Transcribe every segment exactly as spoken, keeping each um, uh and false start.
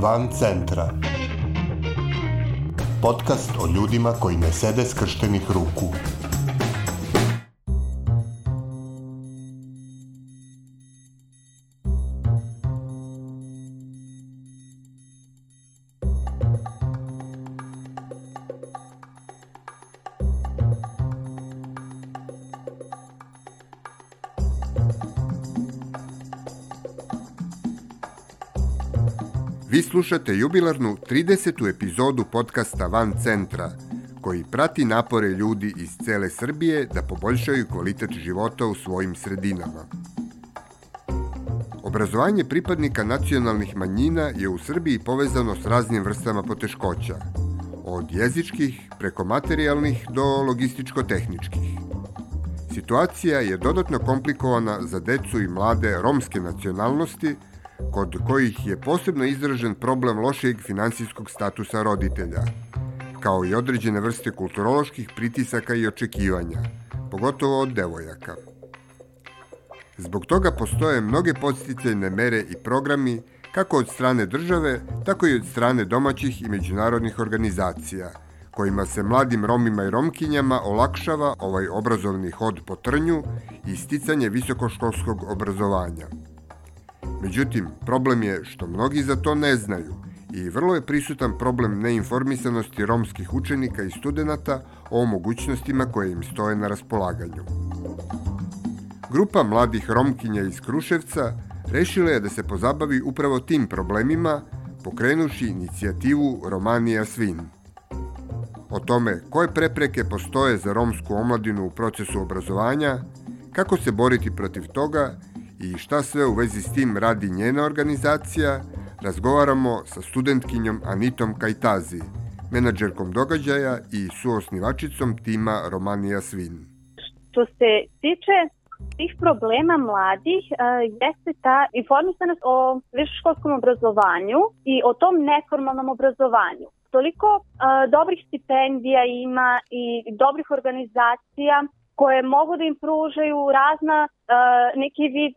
Van centra. Podcast o ljudima koji ne sede skrštenih ruku. Vi slušate jubilarnu tridesetu epizodu podcasta Van centra, koji prati napore ljudi iz cele Srbije da poboljšaju kvalitet života u svojim sredinama. Obrazovanje pripadnika nacionalnih manjina je u Srbiji povezano s raznim vrstama poteškoća, od jezičkih preko materijalnih do logističko-tehničkih. Situacija je dodatno komplikovana za decu i mlade romske nacionalnosti, kod kojih je posebno izražen problem lošijeg finansijskog statusa roditelja, kao i određene vrste kulturoloških pritisaka i očekivanja, pogotovo od devojaka. Zbog toga postoje mnoge podsticajne mere i programi, kako od strane države, tako i od strane domaćih i međunarodnih organizacija, kojima se mladim Romima i Romkinjama olakšava ovaj obrazovni hod po trnju i sticanje visokoškolskog obrazovanja. Međutim, problem je što mnogi za to ne znaju i vrlo je prisutan problem neinformisanosti romskih učenika i studenata o mogućnostima koje im stoje na raspolaganju. Grupa mladih Romkinja iz Kruševca rešila je da se pozabavi upravo tim problemima, pokrenuši inicijativu Romanija Svin. O tome koje prepreke postoje za romsku omladinu u procesu obrazovanja, kako se boriti protiv toga i šta sve u vezi s tim radi njena organizacija, razgovaramo sa studentkinjom Anitom Kajtazi, menadžerkom događaja i suosnivačicom tima Romanija Svin. Što se tiče tih problema mladih, jeste ta informisanost o visokoškolskom obrazovanju i o tom neformalnom obrazovanju. Toliko dobrih stipendija ima i dobrih organizacija koje mogu da im pružaju razna neki vid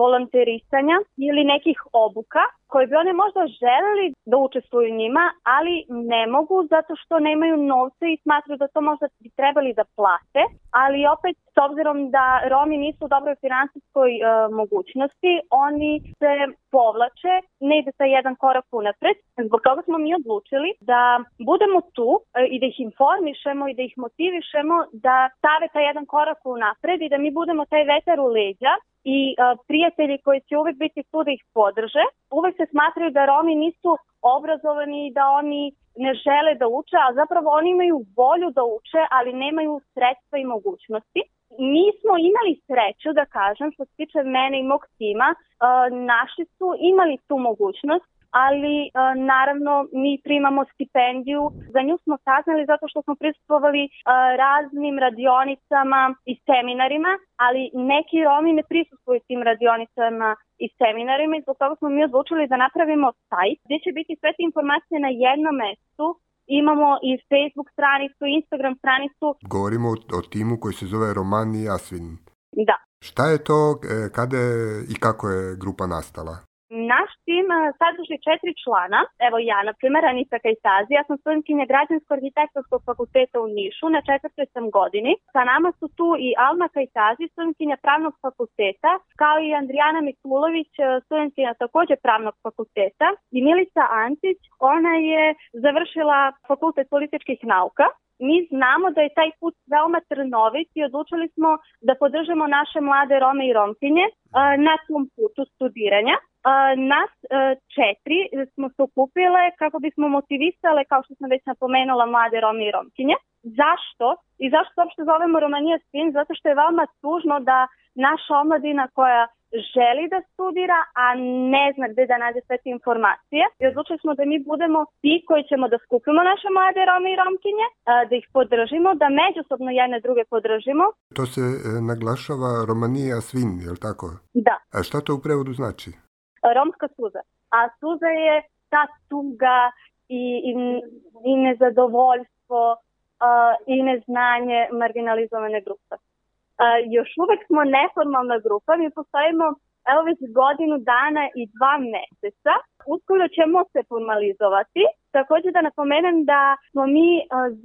volonterisanja ili nekih obuka koje bi one možda želeli da učestvuju njima, ali ne mogu zato što nemaju novca i smatruju da to možda bi trebali da plate, ali opet s obzirom da Romi nisu u dobroj finansijskoj uh, mogućnosti, oni se povlače, ne ide sa jedan korak unapred. Zbog toga smo mi odlučili da budemo tu uh, i da ih informišemo i da ih motivišemo da stave taj jedan korak unapred i da mi budemo taj vetar u leđa i uh, prijatelji koji će uvek biti tu da ih podrže. Uvek se smatraju da Romi nisu obrazovani i da oni ne žele da uče, a zapravo oni imaju volju da uče, ali nemaju sredstva i mogućnosti. Mi smo imali sreću, da kažem, što se tiče mene i mog tima, uh, naši su imali tu mogućnost, ali uh, naravno mi primamo stipendiju. Za nju smo saznali zato što smo prisustvovali uh, raznim radionicama i seminarima, ali neki Romi ne prisustvuju tim radionicama i seminarima i zbog toga smo mi odlučili da napravimo sajt gdje će biti sve te informacije na jednom mestu. Imamo i Facebook stranicu, Instagram stranicu. Govorimo o, o timu koji se zove Romanija Svin. Da. Šta je to, kada i kako je grupa nastala? Naš tim sadrži četiri člana. Evo ja, na primjer, Anita Kajtazi. Ja sam studentkinja Građansko-arhitektonskog fakulteta u Nišu, na četvrtoj sam godini. Sa nama su tu i Alma Kajtazi, studentkinja Pravnog fakulteta, kao i Andrijana Mikulović, studentkinja također Pravnog fakulteta, i Milica Antić, ona je završila Fakultet političkih nauka. Mi znamo da je taj put veoma trnovit i odlučili smo da podržimo naše mlade Rome i Romkinje na tom putu studiranja. Nas četiri smo se okupile kako bismo motivisale, kao što sam već napomenula, mlade Rome i Romkinje. Zašto? I zašto uopšte zovemo Romanija Svin? Zato što je veoma tužno da naša omladina koja želi da studira, a ne zna gde da nađe sve te informacije. I odlučili smo da mi budemo ti koji ćemo da skupimo naše mlade Rome i Romkinje, da ih podržimo, da međusobno jedne druge podržimo. To se e, naglašava Romanija Svin, je li tako? Da. A šta to u prevodu znači? Romska suza. A suza je ta tuga i, i, i nezadovoljstvo uh, i neznanje marginalizovane grupe. Uh, još uvek smo neformalna grupa, mi postojimo evo već godinu dana i dva meseca. Uskoro ćemo se formalizovati. Također da napomenem da smo mi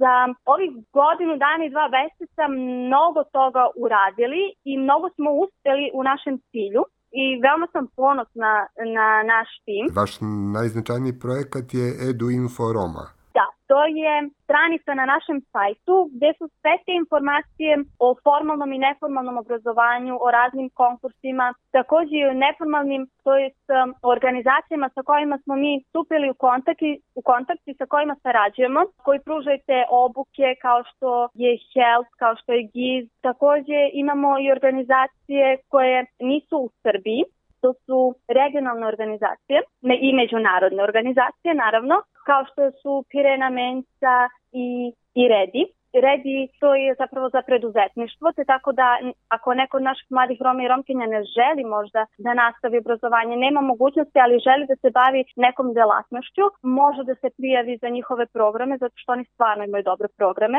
za ovih godinu dana i dva meseca mnogo toga uradili i mnogo smo uspjeli u našem cilju. I veoma sam ponosna na naš tim. Vaš najznačajniji projekat je EduInfo Roma. Da, to je stranica na našem sajtu gdje su sve te informacije o formalnom i neformalnom obrazovanju, o raznim konkursima, također i o neformalnim, to jest organizacijama sa kojima smo mi stupili u kontakt i, u kontakt i sa kojima sarađujemo, koji pružaju te obuke kao što je Health, kao što je Giz. Također imamo i organizacije koje nisu u Srbiji. To su regionalne organizacije i međunarodne organizacije, naravno, kao što su Pirena Mensa i, i Redi. Redi to je zapravo za preduzetništvo, te tako da ako neko od naših mladih Roma i Romkinja ne želi možda da nastavi obrazovanje, nema mogućnosti, ali želi da se bavi nekom delatnošću, može da se prijavi za njihove programe, zato što oni stvarno imaju dobre programe.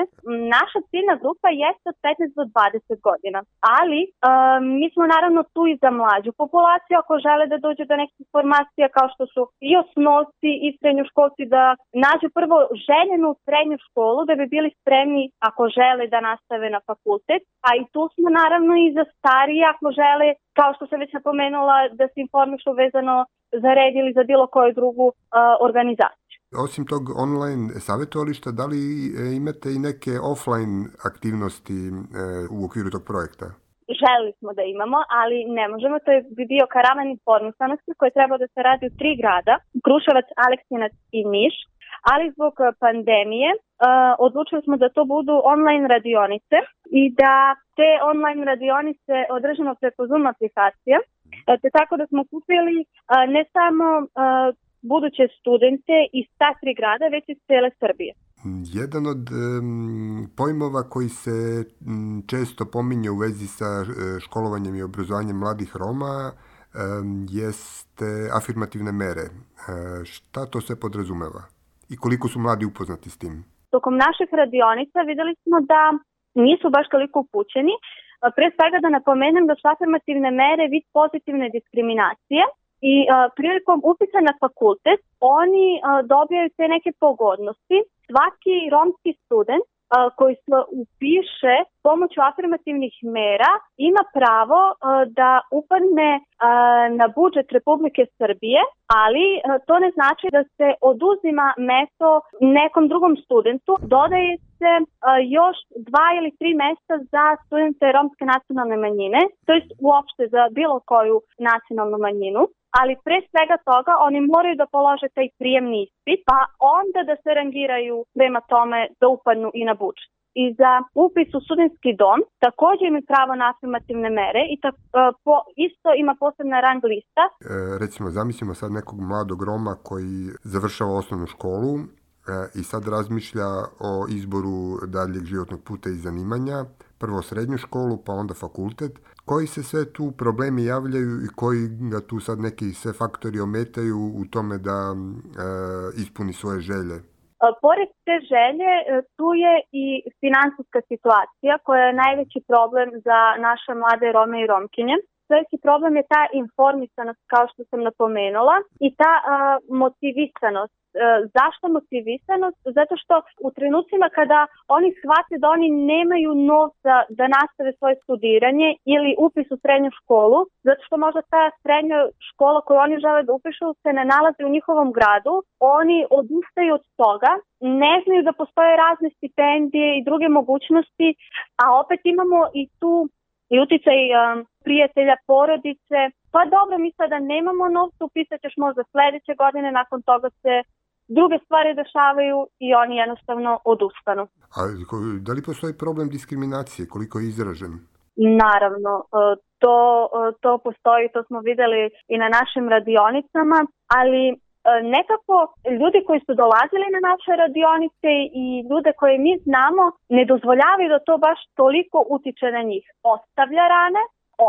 Naša ciljna grupa jeste od petnaest do dvadeset godina, ali um, mi smo naravno tu i za mlađu populaciju, ako žele da dođu do nekih informacija kao što su i osnovci i srednjoškolci, da nađu prvo željenu srednju školu da bi bili spremni ako žele da nastave na fakultet, a i tu smo naravno i za starije ako žele, kao što sam već napomenula, da se informišu vezano za Red ili za bilo koju drugu uh, organizaciju. Osim tog online savjetovališta, da li imate i neke offline aktivnosti e, u okviru tog projekta? Želili smo da imamo, ali ne možemo. To je bi bio karavan informisanosti koji treba da se radi u tri grada, Kruševac, Aleksinac i Niš, ali zbog pandemije uh, odlučili smo da to budu online radionice i da te online radionice održimo preko Zoom aplikacije, te tako da smo kupili uh, ne samo uh, buduće studente iz ta tri grada, već iz cijele Srbije. Jedan od um, pojmova koji se um, često pominje u vezi sa uh, školovanjem i obrazovanjem mladih Roma um, jeste afirmativne mere. Uh, šta to sve podrazumeva? I koliko su mladi upoznati s tim? Tokom naših radionica vidjeli smo da nisu baš toliko upućeni. Pre svega da napomenem da su afirmativne mere vid pozitivne diskriminacije i a, prilikom upisa na fakultet oni a, dobijaju te neke pogodnosti. Svaki romski student a, koji se upiše pomoću afirmativnih mera ima pravo a, da upadne a, na budžet Republike Srbije, ali a, to ne znači da se oduzima mesto nekom drugom studentu. Dodaje se a, još dva ili tri mesta za studente romske nacionalne manjine, to jest uopšte za bilo koju nacionalnu manjinu. Ali pre svega toga oni moraju da polože taj prijemni ispit, pa onda da se rangiraju prema tome da upadnu i na budžet. I za upis u studentski dom također imaju pravo na afirmativne mere i ta, po, isto ima posebna rang lista. E, recimo, zamislimo sad nekog mladog Roma koji završava osnovnu školu e, i sad razmišlja o izboru daljeg životnog puta i zanimanja, prvo srednju školu, pa onda fakultet. Koji se sve tu problemi javljaju i koji ga tu sad neki sve faktori ometaju u tome da e, ispuni svoje želje? Pored te želje, tu je i finansijska situacija koja je najveći problem za naše mlade Rome i Romkinje. Veliki problem je ta informisanost, kao što sam napomenula, i ta a, motivisanost. E, zašto motivisanost? Zato što u trenucima kada oni shvate da oni nemaju novca da nastave svoje studiranje ili upis u srednju školu, zato što možda ta srednja škola koju oni žele da upišu se ne nalazi u njihovom gradu, oni odustaju od toga, ne znaju da postoje razne stipendije i druge mogućnosti, a opet imamo i tu i uticaj um, prijatelja, porodice. Pa dobro, mi sada nemamo novca, upisat ćeš možda sljedeće godine, nakon toga se druge stvari dešavaju i oni jednostavno odustanu. A da li postoji problem diskriminacije? Koliko je izražen? Naravno, to, to postoji, to smo vidjeli i na našim radionicama, ali nekako ljudi koji su dolazili na naše radionice i ljude koje mi znamo ne dozvoljavaju da to baš toliko utiče na njih. Ostavlja rane,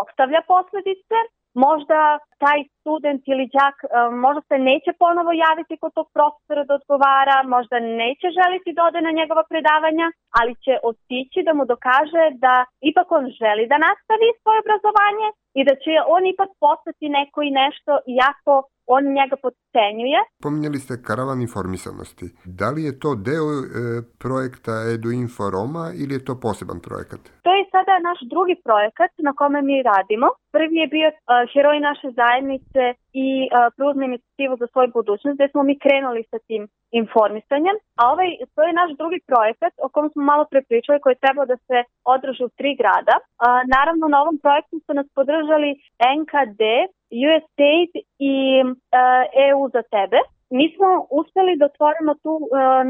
ostavlja posljedice, možda taj student ili đak možda se neće ponovo javiti kod tog profesora da odgovara, možda neće želiti da ode na njegova predavanja, ali će otići da mu dokaže da ipak on želi da nastavi svoje obrazovanje i da će on ipak postati neko i nešto, iako on njega potcenjuje. Pominjali ste karavan informisanosti. Da li je to deo e, projekta EduInfo Roma ili je to poseban projekat? To je sada naš drugi projekat na kome mi radimo. Prvi je bio uh, Heroj naše zajednice i uh, Preuzmi inicijativu za svoju budućnost, gde smo mi krenuli sa tim informisanjem. A ovaj, to je naš drugi projekat o kom smo malo prepričali, koji je trebao da se održi u tri grada. Uh, naravno, na ovom projektu su nas podržali N K D, U S A I D i uh, E U za tebe. Mi smo uspeli da otvorimo tu uh,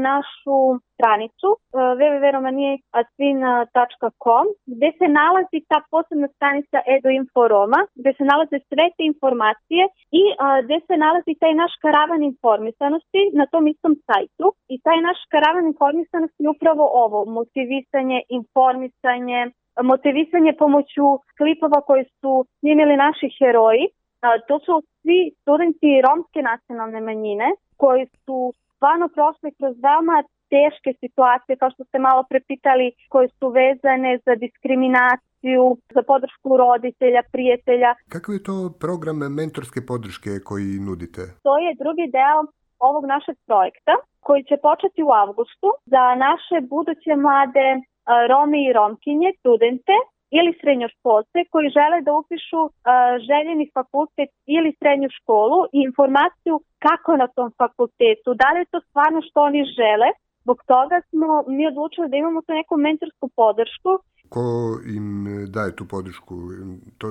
našu stranicu uh, w w w tačka romanije atvin tačka com gde se nalazi ta posebna stranica EduInfo Roma, gde se nalaze sve te informacije i uh, gde se nalazi taj naš karavan informisanosti na tom istom sajtu. I taj naš karavan informisanosti je upravo ovo, motivisanje, informisanje, motivisanje pomoću klipova koje su snimili naši heroji. Uh, to su svi studenti romske nacionalne manjine koji su stvarno prošli kroz veoma teške situacije, kao što ste malo prepitali, koje su vezane za diskriminaciju, za podršku roditelja, prijatelja. Kakav je to program mentorske podrške koji nudite? To je drugi deo ovog našeg projekta koji će početi u avgustu za naše buduće mlade uh, Rome i Romkinje, studente ili srednjoškolce koji žele da upišu uh, željeni fakultet ili srednju školu i informaciju kako na tom fakultetu, da li je to stvarno što oni žele. Zbog toga smo mi odlučili da imamo tu neku mentorsku podršku. Ko im daje tu podršku? To,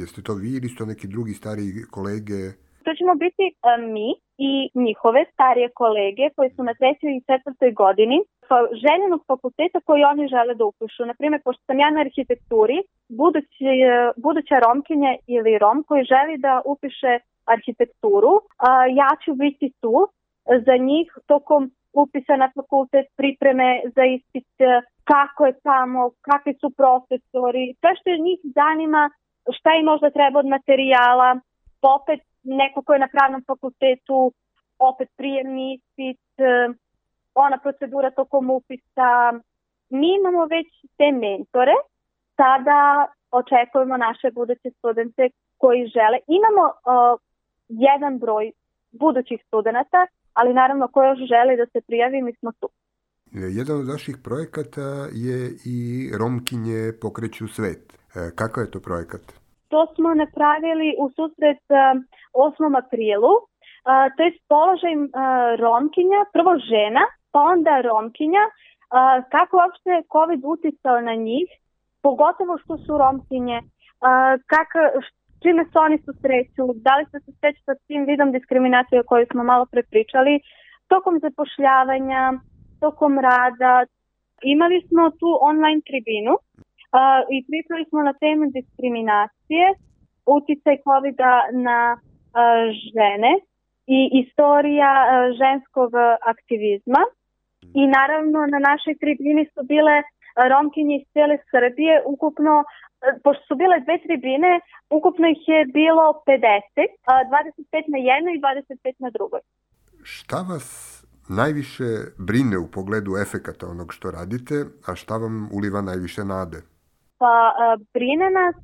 jeste to vi ili su to neki drugi stariji kolege? To ćemo biti uh, mi i njihove starije kolege koji su na trećoj i četvrtoj godini željenog fakulteta koji oni žele da upišu. Naprimjer, pošto sam ja na arhitekturi, budući, buduća Romkinja ili Rom koji želi da upiše arhitekturu, ja ću biti tu za njih tokom upisa na fakultet, pripreme za ispit, kako je tamo, kakvi su profesori, sve što je njih zanima, šta im možda treba od materijala, opet neko ko je na pravnom fakultetu, opet prijemni ispit, ona procedura tokom upisa. Mi imamo već te mentore, sada očekujemo naše buduće studente koji žele. Imamo uh, jedan broj budućih studenata, ali naravno ko još želi da se prijavi, mi smo tu. Jedan od vaših projekata je i Romkinje pokreću svet. Kakav je to projekat? To smo napravili u susret uh, osmom aprilu. Uh, to je položaj uh, Romkinja, prvo žena, pa onda Romkinja, uh, kako uopšte COVID uticao na njih, pogotovo što su Romkinje, uh, kako, čime se oni susreću, da li se susreću sa tim vidom diskriminacije o kojoj smo malo prepričali, tokom zapošljavanja, tokom rada. Imali smo tu online tribinu uh, i pričali smo na temu diskriminacije, uticaj COVID-a na uh, žene i istorija uh, ženskog aktivizma. I naravno na našoj tribini su bile Romkinje iz cijele Srbije, ukupno, pošto su bile dve tribine, ukupno ih je bilo pedeset, dvadeset pet na jednoj i dvadeset pet na drugoj. Šta vas najviše brine u pogledu efekata onog što radite, a šta vam uliva najviše nade? Pa brine nas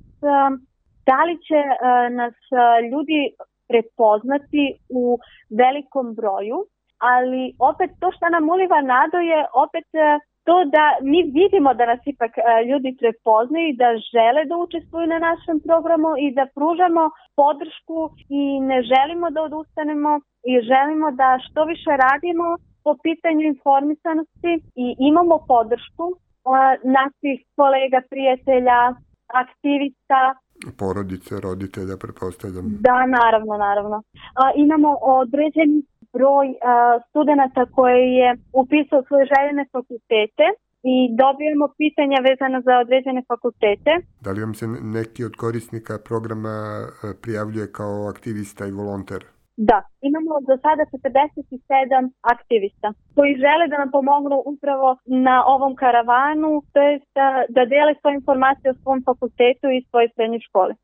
da li će nas ljudi prepoznati u velikom broju, ali opet to što nam uliva nadu je opet to da mi vidimo da nas ipak ljudi prepoznaju i da žele da učestvuju na našem programu i da pružamo podršku i ne želimo da odustanemo i želimo da što više radimo po pitanju informisanosti i imamo podršku naših kolega, prijatelja, aktivista. Porodice, roditelja, pretpostavljam. Da, naravno, naravno. Imamo određeni broj uh, studenta koji je upisao svoje željene fakultete i dobijemo pitanja vezana za određene fakultete. Da li vam se neki od korisnika programa prijavljuje kao aktivista i volonter? Da, imamo do sada četrdeset sedam aktivista koji žele da nam pomognu upravo na ovom karavanu, to je da, da dele svoje informacije o svom fakultetu i svojoj srednjoj školi.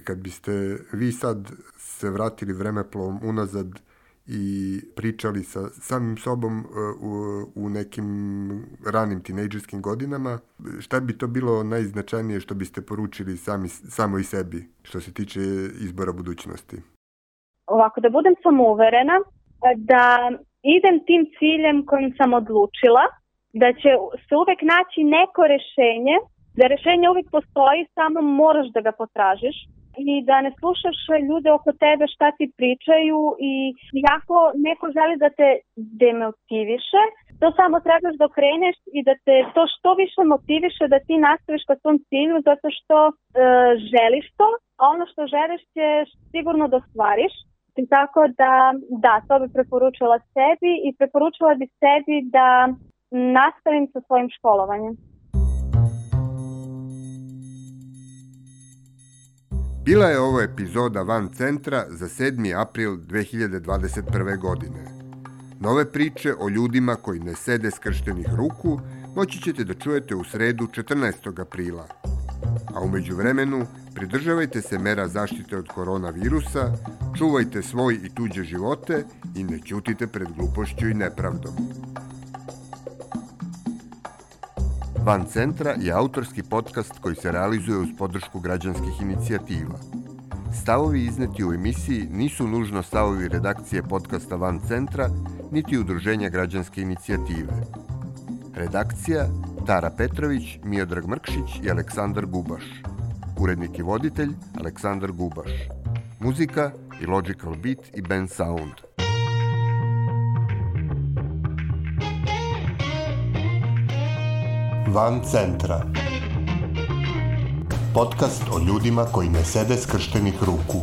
Kad biste vi sad se vratili vremeplovom unazad i pričali sa samim sobom u, u nekim ranim tinejdžerskim godinama, šta bi to bilo najznačajnije što biste poručili sami, samo i sebi što se tiče izbora budućnosti? Ovako, da budem samouverena, da idem tim ciljem kojim sam odlučila, da će se uvek naći neko rešenje, da rešenje uvek postoji, samo moraš da ga potražiš i da ne slušaš ljude oko tebe šta ti pričaju i ako neko želi da te demotiviše, to samo trebaš da kreneš i da te to što više motiviše da ti nastaviš ka svom cilju zato što e, želiš to, a ono što želiš ćeš sigurno da ostvariš. I tako da, da, to bi preporučila sebi i preporučila bi sebi da nastavim sa svojim školovanjem. Bila je ovo epizoda Van Centra za sedmi april dve hiljade dvadeset prve. godine. Nove priče o ljudima koji ne sede skrštenih ruku moći ćete da čujete u sredu četrnaestog aprila. A umeđu vremenu pridržavajte se mera zaštite od koronavirusa, čuvajte svoj i tuđe živote i ne ćutite pred glupošću i nepravdom. Van Centra je autorski podcast koji se realizuje uz podršku građanskih inicijativa. Stavovi izneti u emisiji nisu nužno stavovi redakcije podcasta Van Centra, niti udruženja građanske inicijative. Redakcija Tara Petrović, Miodrag Mrkšić i Aleksandar Gubaš. Urednik i voditelj Aleksandar Gubaš. Muzika i Logical Beat i Band Sound. Van Centra. Podcast o ljudima koji ne sede skrštenih ruku.